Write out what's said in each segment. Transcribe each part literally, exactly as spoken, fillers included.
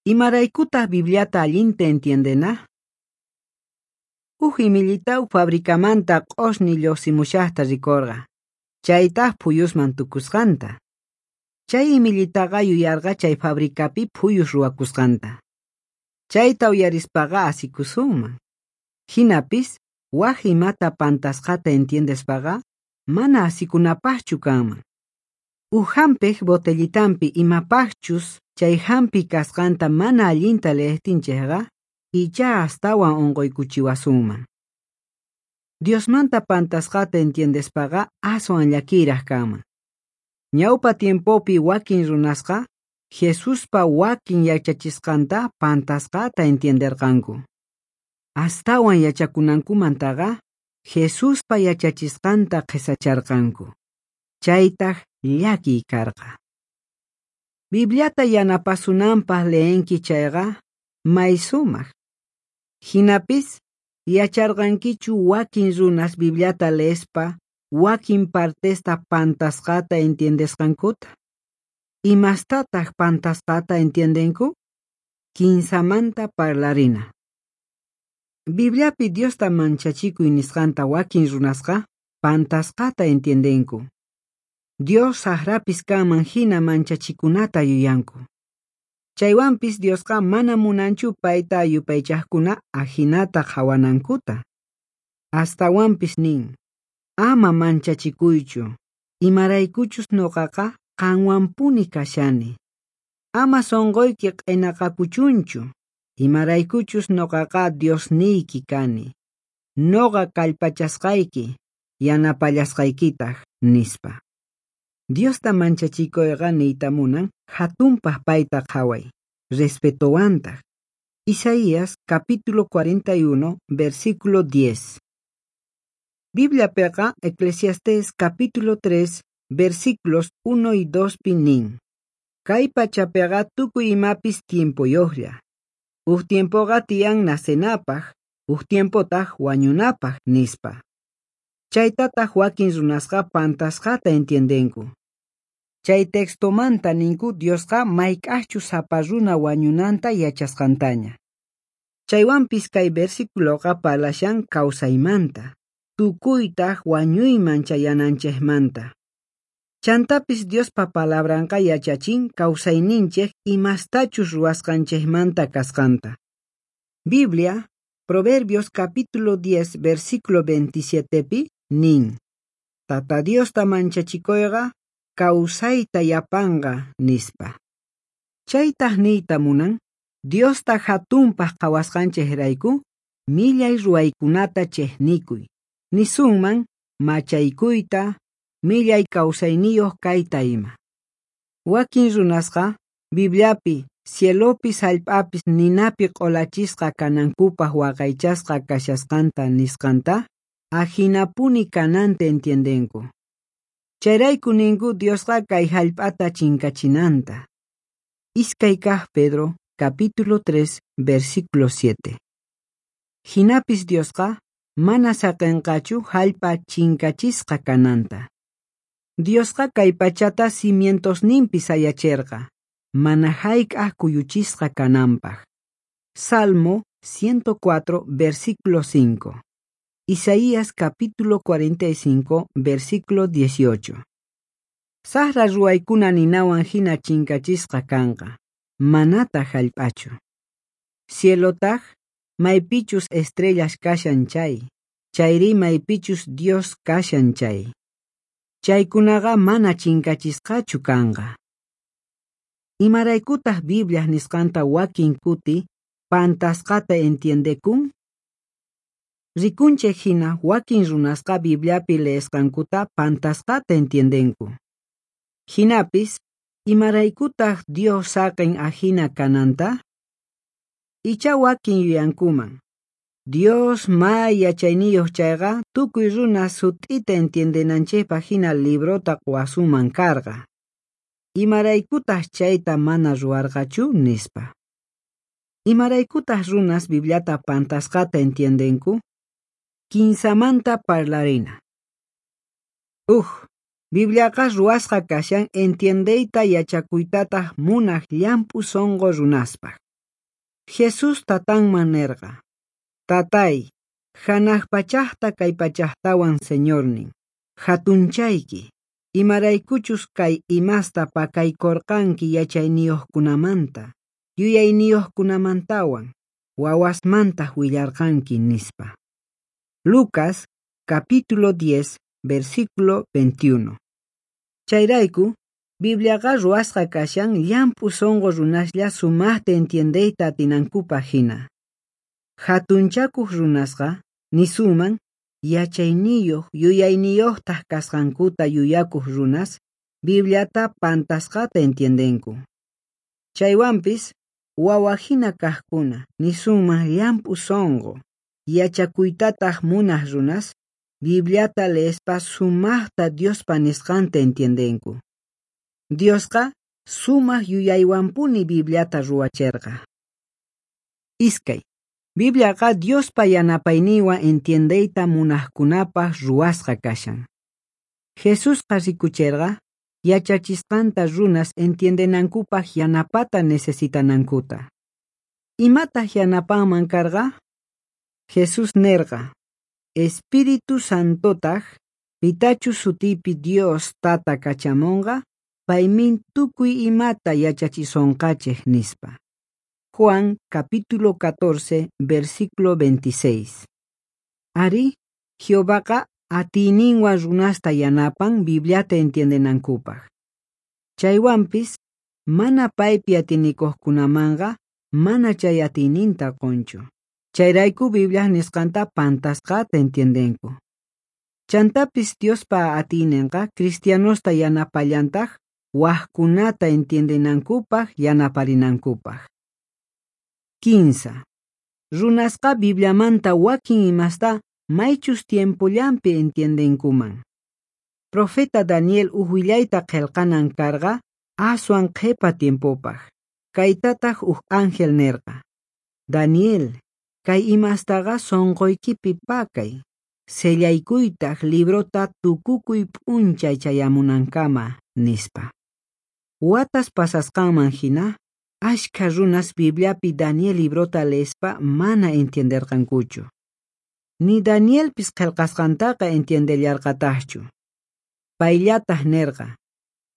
Imaraykutaq Bibliata allinta entiendena? Uj imillita fabricamanta q'osñi lluqsimushaqta rikurqa, chaytaq phuyusman tukusqanta. Chay imillitaqa yuyarqa chay fabricapi phuyus ruwakusqanta. Chayta uyarispaqa asikusunman. Hinapis, waj imata pantasqata entiendespaqa, mana asikunapaqchu kanman. Uj hampiq botellitanpi imapaqchus chay hampi kasqanta mana allinta leejtinchikqa, icha astawan unquykuchiwasunman. Diosmanta pantasqata entiendespaqa aswan llakiraq kanman. Ñawpa tiempopi wakin runasqa, Jesuspa wakin yachachisqanta pantasqata entienderqanku. Astawan yachakunankumantaqa, Jesuspa yachachisqanta qhisacharqanku. Chaytaq llakiy karqa. Bibliata yanapasunanpaq leenki chayqa, may sumaq. Hinapis, yacharqankichu wakin runas Bibliata leespa, wakin partesta pantasqata entiendesqankuta? Imastataq pantasqata entiendenku? Kinsamanta parlarina. Bibliapi Diosta manchachikuy nisqanta wakin runasqa pantasqata entiendenku. Dios saqrapis kanman hina manchachikunata yuyanku. Chaywanpis Diosqa mana munanchu payta yupaychaqkuna ajinata qhawanankuta. Astawanpis nin, ama manchachikuychu, imaraykuchus nuqaqa qanwanpuni kashani. Ama sunquyki q'inaqakuchunchu, imaraykuchus nuqaqa Diosniyki kani. Nuqa kallpachasqayki, yanapallasqaykitaq, nispa. Diosta manchachikuyqa niyta munan hatunpaq payta qhaway, respetowantaq. Isaías capítulo cuarenta y uno, versículo diez. Bibliapiqa Eclesiastés capítulo tres, versículos uno y dos pi nin. Kay pachapiqa tukuy imapis tiempoyuqlla. Uj tiempoqa tiyan nacenapaq, uj tiempotaq wañunapaq, nispa. Chaytataq wakin runasqa pantasqata entiendenku. Chay textomanta ninku Diosqa mayk'aqchus sapa runa wañunanta yachasqantaña. Chaywanpis kay versiculoqa parlashan kawsaymanta, tukuytaq wañuyman chayananchikmanta. Chantapis Diospa palabranqa yachachin kawsayninchik imastachus ruwasqanchikmanta kasqanta. Biblia, Proverbios capítulo diez, versículo veintisiete pi, nin. Tata Diosta manchachikuyqa kawsayta yapanqa, nispa. Chaytaq niyta munan, Diosta hatunpaq qhawasqanchikrayku, millay ruwaykunata chiqnikuy. Nisunman, machaykuyta, millay kawsayniyuq kayta ima. Wakin runasqa, Bibliapi, cielopis hallp'apis ninapi q'ulachisqa kanankupaq waqaychasqa kashasqanta nisqanta, ajinapuni kananta entiendenku. Chayrayku ninku Diosqa kay hallp'ata chinkachinanta. Iskay kaq Pedro, capítulo tres, versículo siete. Hinapis Diosqa mana saqinqachu hallp'a chinkachisqa kananta. Diosqa kay pachata cimientosninpi sayachirqa, mana hayk'aq kuyuchisqa kananpaq. Salmo ciento cuatro, versículo cinco. Isaías capítulo cuarenta y cinco, versículo dieciocho. Saqra ruwaykuna ninawan hina chinkachisqa kanqa, manataq hallp'achu. Cielotaq, maypichus estrellas kashan chay, chayri maypichus Dios kashan chay. Chaykunaqa mana chinkachisqachu kanqa. Imaraykutaq Biblia nisqanta wakin kuti pantasqata entiendekun? Rikunchik hina wakin runasqa Bibliapi leesqankuta pantasqata entiendenku. Hinapis, imaraykutaq Dios saqin ajina kananta? Icha wakin yuyankuman. Dios may yachayniyuq chayqa tukuy runa sut'ita entiendenanchikpaq hina librota quwasunman karqa. Imaraykutaq chayta mana ruwarqachu, nispa. Imaraykutaq runas Bibliata pantasqata entiendenku? Kinsamanta parlarina. Uj, Bibliaqa ruwasqa kashan entiendeyta yachakuytataq munaq llamp'u sunqu runaspaq. Jesús Tatanman nerqa: Tatáy, janaj pachajta kay pachajtawan Señornin, jatunchayki, imaraykuchus kay imasta pakaykorqanki yachayniyojkunamanta, yuyayniyojkunamantawan, wawasmantaj willarqanki, nispa. Lucas, capítulo diez, versículo veintiuno. Chayrayku, Bibliaqa ruwasqa kashan llamp'u sunqu runaslla sumaqta entiendeyta atinankupaq hina. Hatunchakuq runasqa nisuman yachayniyuq yuyayniyuqtaq kasqankuta yuyakuq runas Bibliata pantasqata entiendenku. Chaywanpis wawahina kaqkuna nisunman llamp'u sunqu yachakuytataq munaq runas Bibliata leespa sumaqta Diospa nisqanta entiendenku. Diosqa sumaq yuyaywanpuni Bibliata ruwacherqa. Iskay. Bibliaqa Diospa yanapayninwan entiendeyta munaqkunapaq ruwasqa kashan. Jesusqa rikucherqa yachachisqanta runas entiendenankupaq yanapata necesitanankuta. Imataq yanapanman karqa? Jesús nerqa: Espíritu Santotaq pitachus sutipi Dios Tata kachamonqa, paymin tukuy imata yachachisonqachej, nispa. Juan capítulo catorce, versículo veintiséis. Ari, Jehovaqa atiyninwan runasta yanapan Bibliata entiendenankupaq. Chaywanpis, mana paypi atinikuqkunamanqa mana chay atiyninta qunchu. Chayrayku Bibliaj nisqanta pantasqata entiendenku. Chantapis Diospa atiyninqa cristianosta yanapallantaq wajkunata entiendenankupaq yanaparinankupaq. Kinsa. Runasqa Bibliamanta wakin imasta maychus tiempollanpi entiendenkuman. Profeta Daniel uj willayta qillqanan karqa aswan qhipa tiempopaq. Kaytataq uj ángel nerqa: Daniel, kay imastaqa sunquykipi pakay, sellaykuytaq librota tukukuy p'unchay chayamunankama, nispa. Watas pasasqanman hina, ashkha runas Bibliapi Daniel librota leespa mana entienderqankuchu. Ni Danielpis qillqasqantaqa entiendellarqataqchu. Payllataq nerqa: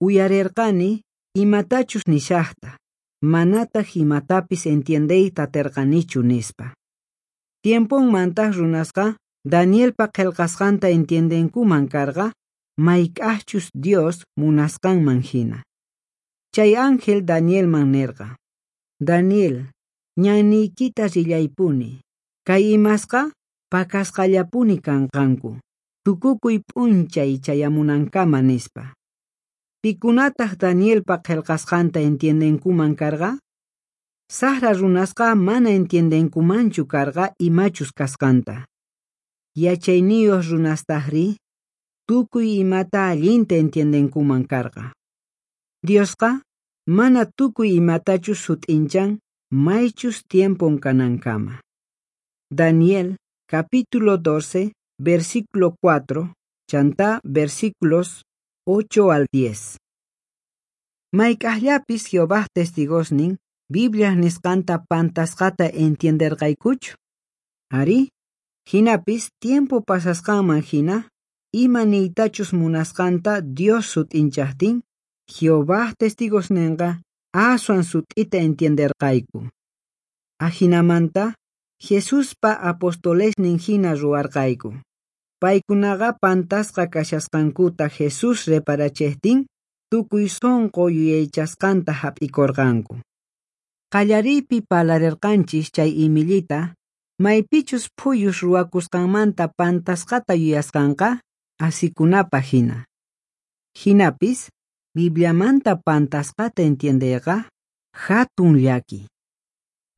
Uyarerqani imatachus nishaqta, manataq imatapis entiendeyta aterqanichu, nispa. Tiemponmantaq runasqa Danielpa qillqasqanta entiendenkuman karqa mayk'aqchus Dios munasqanman hina. Chay ángel Danielman nerqa: Daniel, ñanniykita rillaypuni, kay imasqa pakasqallapuni kanqanku, tukukuy p'unchay chayamunankama, nispa. Pikunataq Danielpa qillqasqanta entiendenkuman karqa? Saqra runasqa mana entiendenkumanchu karqa imachus kasqanta. Yachayniyuq runastaqri tukuy imata allinta entiendenkuman karqa. Diosqa mana tukuy imatachus sut'inchan maychus tiempon kanankama. Daniel capítulo doce, versículo cuatro, chantá versículos ocho al diez. Mayk'aqllapis Jehovaj testigosnin Bibliaj nisqanta pantasqata entienderqaykuchu. Ari, hinapis tiempo pasasqanman hina, ima niytachus munasqanta Dios sut'inchaqtin, Jehovaj testigosninqa aswan sut'ita entienderqayku. Ajinamanta, Jesuspa apostolesnin hina ruwarqayku. Paykunaqa pantasqa kashasqankuta Jesús reparachejtin, tukuy sunqu yuyaychasqanta hap'ikurqanku. Qallariypi parlarerqanchis chay imillita, maypichus phuyus ruwakusqanmanta pantasqata yuyasqanqa asikunapaq hina. Hinapis, Bibliamanta pantasqata entiendeyqa hatun llaki.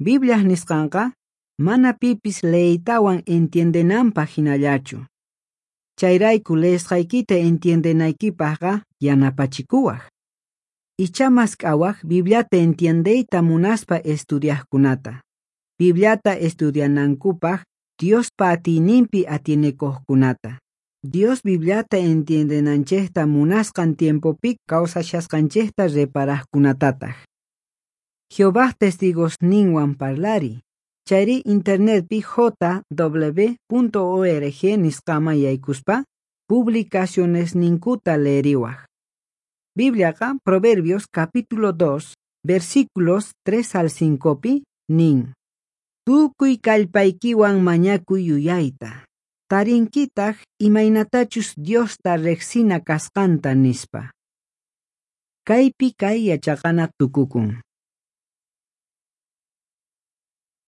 Bibliaj nisqanqa mana pipis leeytawan entiendenanpaq hinallachu. Chayrayku leesqaykita entiendenaykipaqqa yanapachikuwaq. Icha mask'awaq Bibliata entiendeyta munaspa estudiaqkunata. Bibliata estudianankupaq Diospa atiyninpi atienekuqkunata. Dios Bibliata entiendenanchejta munasqan tiempopi kawsashasqanchejta reparaqkunatataq. Jehovaj testigosninwan parlariy, chayri internetpi J W punto org nisqaman yaykuspa publicacionesninkuta leeriwaj. Bibliaqa Proverbios capítulo dos, versículos tres al cincopi nin: Tukuy kallpaykiwan mañakuy yuyayta. Tarinkitaq imaynatachus Diosta riqsina kasqanta, nispa. Kaypi kay yachaqana tukukun.